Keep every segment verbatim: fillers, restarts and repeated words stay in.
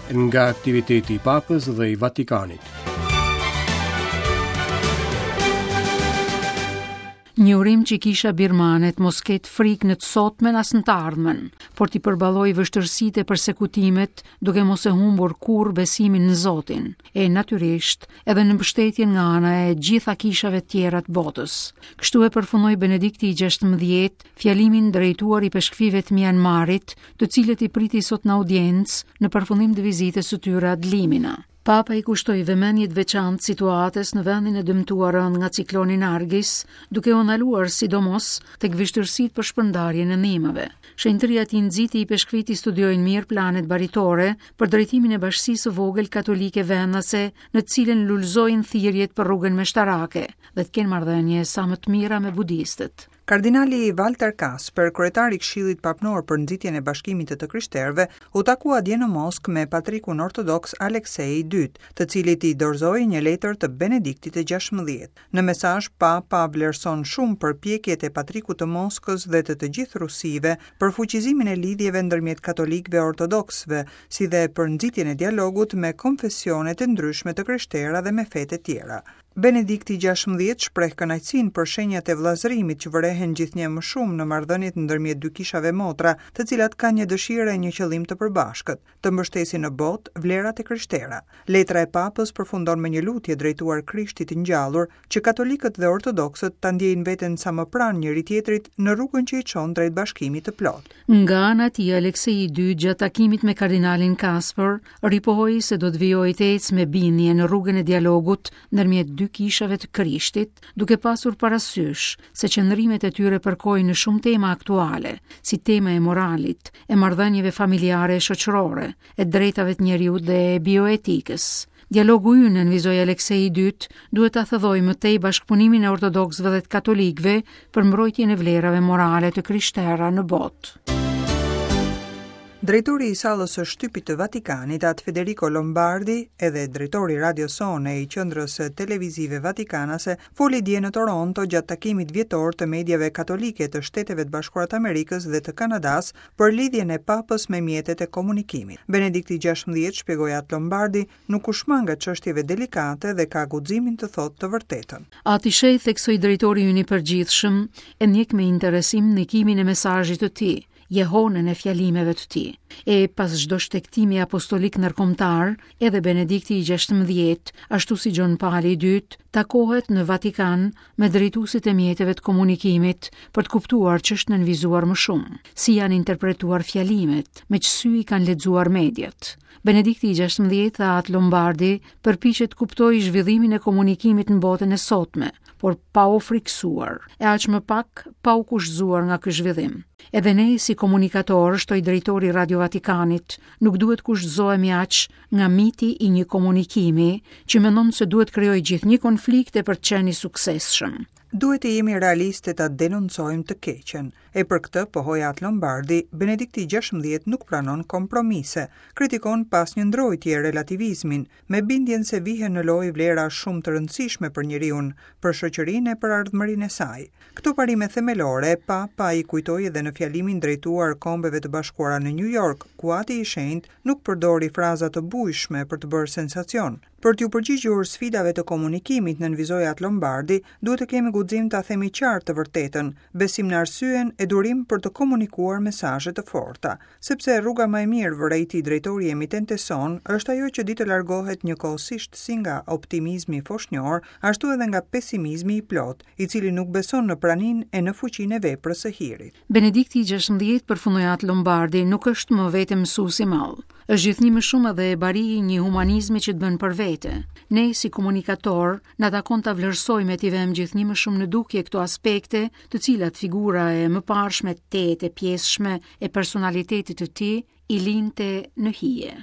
Nga aktiviteti i Papës dhe i Vatikanit. Një urim që kisha birmane të mos ketë frikë në të sotmen as në të ardhmen, por t'i përballojë vështirësitë e persekutimet duke mos e humbur kurrë besimin në Zotin, e natyrisht edhe në mbështetjen nga ana e gjitha kishave të tjera të botës. Kështu e përfundoi Benedikti i gjashtëmbëdhjetë fjalimin drejtuar i peshkëfive të Myanmarit, të cilët i priti sot në audiencë në përfundim të vizitës së tyre ad limina. Papa i kushtoi vëmendje të veçantë situatës në vendin e dëmtuar rënd nga cikloni Nargis, duke u ndaluar sidomos tek vështirësitë për shpërndarjen e ndihmave. Shenjtëria e tij nxiti i peshkvit i studiojnë mirë planet baritore për drejtimin e bashkësisë së vogël katolike vendase, në të cilën lulëzojnë thirrjet për rrugën meshtarake dhe të kenë marrëdhënie sa më të mira me budistët. Kardinali Walter Kasper, kryetari i Këshillit Papnor për nxitjen e bashkimit të të krishterëve, u takua dje në Moskë me patrikun ortodoks Aleksej i dytë, të cilit i dorëzoi një letër të Benediktit të gjashtëmbëdhjetë. Në mesazh, Papa vlerëson shumë përpjekjet e patrikut të Moskës dhe të të gjithë rusive për fuqizimin e lidhjeve ndërmjet katolikëve e ortodoksëve, si dhe për nxitjen e dialogut me konfesionet e ndryshme të krishtera dhe me fetë e tjera. Benedikti i gjashtëmbëdhjetë shpreh kënaqësinë për shenjat e vëllazërimit që vërehen gjithnjë më shumë në marrëdhëniet ndërmjet dy kishave motra, të cilat kanë një dëshirë e një qëllim të përbashkët, të mbështesin në botë vlerat e krishtera. Letra e Papës përfundon me një lutje drejtuar Krishtit të ngjallur, që katolikët dhe ortodoksët ta ndjejnë veten sa më pranë njëri tjetrit në rrugën që i çon drejt bashkimit të plotë. Nga ana e tij, Aleksej i dytë gjatë takimit me kardinalin Kasper ripohoi se do të vijojë të ecë me bindje në rrugën e dialogut ndërmjet dy kishave të Krishtit, duke pasur parasysh se qëndrimet e tyre përkojnë në shumë tema aktuale, si tema e moralit, e marrëdhënieve familjare e shoqërore, e drejtave të njeriut dhe e bioetikës. Dialogu ynë, nënvizoi Aleksej i dytë, duhet ta thellojë më tej bashkëpunimin e ortodoksëve dhe të katolikëve për mbrojtjen e vlerave morale të krishtera në botë. Drejtori i sallës së shtypit të Vatikanit, At Federico Lombardi, edhe drejtori i Radio Sone i qendrës televizive vatikanase, foli dje në Toronto gjatë takimit vjetor të mediave katolike të Shteteve të Bashkuara të Amerikës dhe të Kanadas për lidhjen e Papës me mjetet e komunikimit. Benedikti i gjashtëmbëdhjetë, shpjegoi At Lombardi, nuk u shmang nga çështjeve delikate dhe ka guximin të thotë të vërtetën. Ati Shej, theksoi drejtori ynë i përgjithshëm, e ndjek me interesim ndikimin e mesazhit të tij, jehonën e fjalimeve të tij. E pas çdo shtegtimi apostolik ndërkombëtar, edhe Benedikti i gjashtëmbëdhjetë, ashtu si Gjon Pali i dytë, takohet në Vatikan me drejtuesit e mjeteve të komunikimit për të kuptuar ç'është nënvizuar më shumë, si janë interpretuar fjalimet, me ç'sy i kanë lexuar mediat. Benedikti i gjashtëmbëdhjetë, tha At Lombardi, përpiqet të kuptojë zhvillimin e komunikimit në botën e sotme, por pa u frikësuar, e aq më pak pa u kushtëzuar nga ky zhvillim. Edhe ne si komunikator, shtoi drejtori i Radio Vatikanit, nuk duhet kushtëzohemi aq nga miti i një komunikimi që mendon se duhet krijojë gjithnjë konflikte për të qenë i suksesshëm. Duhet të jemi realiste ta denoncojmë të keqen. E për këtë, pohoi At Lombardi, Benedikti i gjashtëmbëdhjetë nuk pranon kompromise, kritikon pas një ndrojtje relativizmin, me bindjen se vihen në lojë vlera shumë të rëndësishme për njeriun, për shoqërinë e për ardhmërinë e saj. Këto parime themelore Papa i kujtoi edhe në fjalimin drejtuar Kombeve të Bashkuara në New York, ku Ati i Shenjtë nuk përdori fraza të bujshme për të bërë sensacion. Për t'ju përgjigjur sfidave të komunikimit, nënvizoi At Lombardi, duhet të kemi guxim ta themi qartë të vërtetën, besim në arsyen e durim për të komunikuar mesazhe të forta, sepse rruga më e mirë, vërejti drejtori i emitentes son, është ajo që di të largohet njëkohësisht si nga optimizmi foshnjor, ashtu edhe nga pesimizmi i plot, i cili nuk beson në praninë e në fuqinë e veprës së hirit. Benedikti i gjashtëmbëdhjetë, përfundoi At Lombardi, nuk është më vetëm mësues i madh. Është gjithnjë më shumë edhe e bari i një humanizmi që të bën për vete. Ne si komunikator na takon ta vlerësojmë e t'i vëmë gjithnjë më shumë në dukje këto aspekte, të cilat figura e mëparshme tetë e pjesshme e personalitetit të tij i linte në hije.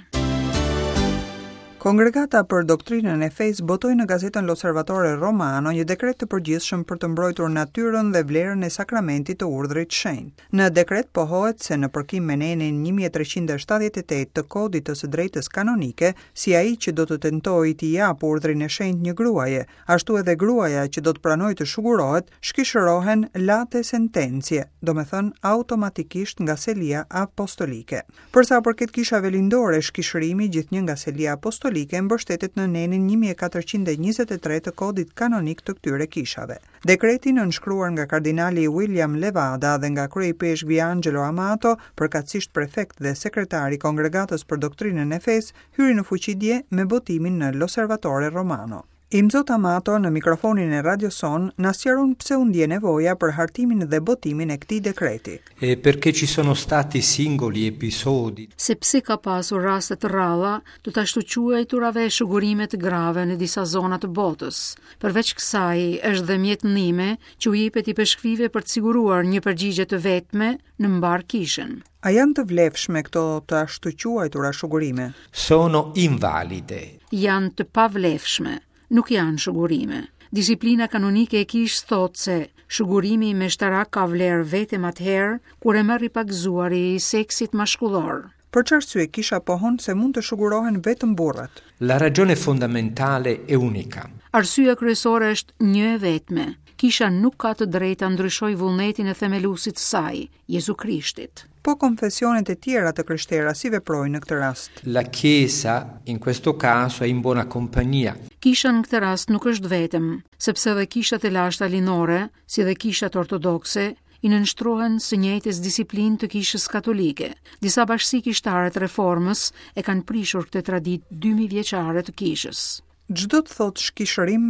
Kongregata për Doktrinën e Fesë botoi në gazetën L'Osservatore Romano një dekret të përgjithshëm për të mbrojtur natyrën dhe vlerën e sakramentit të urdhrit shenjt. Në dekret pohohet se në përkim me nenin një mijë e treqind e shtatëdhjetë e tetë të Kodit të së Drejtës Kanonike, si ai që do të tentojë t'i japë urdhrin e shenjtë një gruaje, ashtu edhe gruaja që do të pranojë të shugurohet, shkishërohen late sententiae, domethënë automatikisht nga selia apostolike. Për sa përket kishave lindore, shkishërimi gjithnjë nga selia apostolike mbështetet në nenin një mijë e katërqind e njëzet e tre të Kodit Kanonik të këtyre kishave. Dekreti nënshkruar nga kardinali William Levada dhe nga kryeipeshkvi Angelo Amato, përkatësisht prefekt dhe sekretar i Kongregatës për Doktrinën e Fesë, hyri në fuqi dje me botimin në L'Osservatore Romano. Imzot Amato në mikrofonin e Radio Son na sqaron pse u ndje nevoja për hartimin dhe botimin e këtij dekreti. E perché ci sono stati singoli episodi. Sepse ka pasur raste të rralla të të ashtuquajturave shugurime të grave në disa zona të botës. Përveç kësaj, është dhe mjet ndihme që u jepet ipeshkvive për të siguruar një përgjigje të vetme në mbar kishën. A janë të vlefshme këto të ashtuquajtura shugurime? Sono invalide. Janë të pavlefshme. Nuk janë shugurime. Disiplina kanonike e kishës thotë se shugurimi meshtarak ka vlerë vetëm atëherë kur e merr i pagëzuari i seksit mashkullor. Për çfarë arsye kisha pohon se mund të shugurohen vetëm burrat? La ragione fondamentale è unica. Arsyeja kryesore është një e vetme. Kisha nuk ka të drejtë ta ndryshojë vullnetin e themeluesit të saj, Jezu Krishtit. Po konfesionet e tjera të krishtera si veprojnë në këtë rast? La Chiesa in questo caso è in buona compagnia. Kisha në këtë rast nuk është vetëm, sepse edhe kishat e lashta linore, si dhe kishat ortodokse, i nënshtrohen së njëjtës disiplinë të kishës katolike. Disa bashkësi kishtare të reformës e kanë prishur këtë traditë dy mijë vjeçare të kishës. Ç'do të thotë shkishërim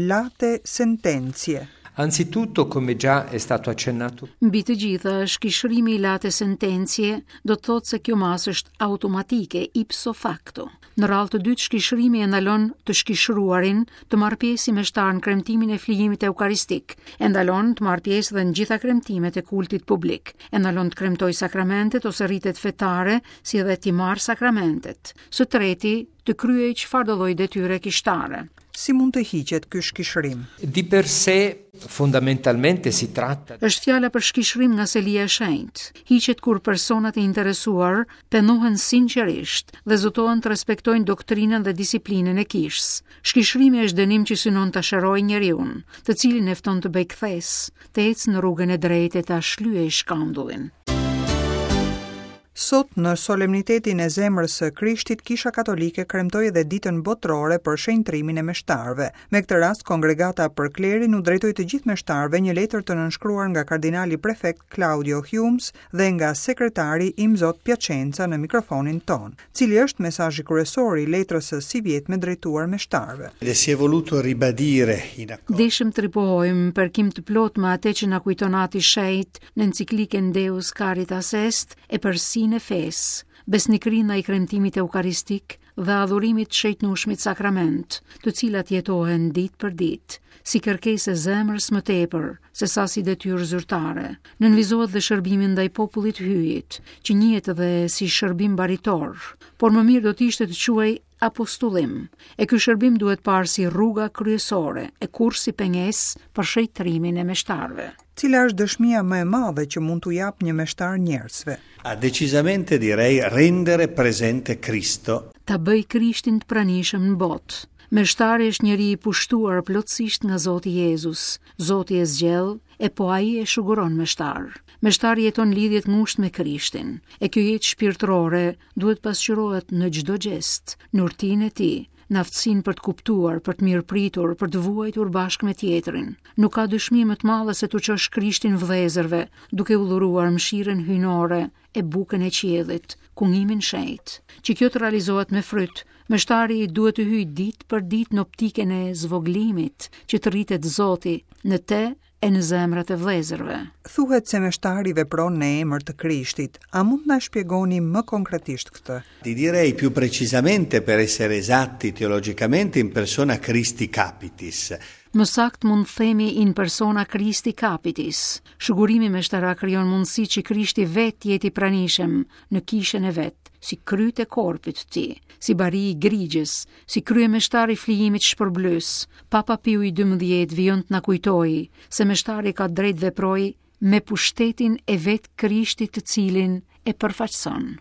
late sententiae? Anzitutto, come già è stato accennato, Mbi të gjitha, shkishërimi i late sententiae do të thotë se kjo masë është automatike, ipso facto. Në radhë të dytë, shkishërimi e ndalon të shkishëruarin të marrë pjesë si meshtar në kremtimin e flijimit eukaristik, e ndalon të marrë pjesë dhe në gjitha kremtimet e kultit publik, e ndalon të kremtojë sakramentet ose ritet fetare, si edhe t'i marrë sakramentet. Së treti, të kryejë çfarëdo lloj detyre kishtare. Si mund të hiqet ky shkishërim? Di per sé, fondamentalmente si tratta Është fjala për shkishërim nga selia e shenjtë. Hiqet kur personat e interesuar pendohen sinqerisht dhe zotohen të respektojnë doktrinën dhe disiplinën e kishës. Shkishërimi është dënim që synon ta shërojë njeriun, të cilin e fton të bëjë kthesë, të ecë në rrugën e drejtë e ta shlyejë shkandullin. Sot, në solemnitetin e zemrës së Krishtit, Kisha Katolike kremtoi edhe ditën botërore për shenjtrimin e meshtarëve. Me këtë rast, Kongregata për Klerin u drejtoi të gjithë meshtarëve një letër të nënshkruar nga kardinali prefekt Claudio Hummes dhe nga sekretari Imzot Piacenza në mikrofonin ton. Cili është mesazhi kryesor i letrës së sivjetme drejtuar meshtarëve? Dhe si è voluto ribadire in accordo Deshëm të ripohojmë përkim të plot me atë që na kujton Ati Shenjt në enciklikën Deus Caritas Est e përsinë e fesë, besnikërinë ndaj kremtimit eukaristik dhe adhurimit të shenjtnueshmit sakrament, të cilat jetohen ditë për ditë, si kërkesë e zemrës më tepër se sa si detyrë zyrtare. Nënvizohet dhe shërbimi ndaj popullit hyjit, që njihet edhe si shërbim baritor, por më mirë do të ishte të quhej apostullim. E ky shërbim duhet parë si rruga kryesore e kurrë si pengesë për shenjtrimin e meshtarëve. Cila është dëshmia më e madhe që mund t'u jap një meshtar njerëzve? A decisamente direi rendere presente Cristo. Ta bëj Krishtin të pranishëm në botë. Meshtari është njeri i pushtuar plotësisht nga Zoti Jezus. Zoti e zgjedh e po ai e shuguron meshtar. Meshtari jeton lidhje të ngushtë me Krishtin, e kjo jetë shpirtërore duhet pasqyrohet në çdo gjest, në urtinë e tij, në aftësinë për të kuptuar, për të mirëpritur, për të vuajtur bashkë me tjetrin. Nuk ka dëshmi më të madhe se t'u çosh Krishtin vëllezërve, duke u dhuruar mëshirën hyjnore e bukën e qiellit, kungimin shenjt. Që kjo të realizohet me fryt, meshtari duhet të hyjë ditë për ditë në optikën e zvogëlimit, që të rritet Zoti në te e në zemrat e vëllezërve. Thuhet se meshtari vepron në emër të Krishtit. A mund na shpjegoni më konkretisht këtë? Ti direi più precisamente, per essere esatti teologicamente, in persona Christi Capitis. Më saktë mund të themi in persona Christi capitis. Shugurimi meshtarak krijon mundësi që Krishti vetë jetë i pranishëm në kishën e vet, si kryt e korpit të tij, si bari i grigjës, si kryemeshtar i flijimit shpërblyes. Papa Piu i dymbëdhjetë vijon të na kujtojë se meshtari ka drejt veproj me pushtetin e vetë Krishtit të cilin e përfaqëson.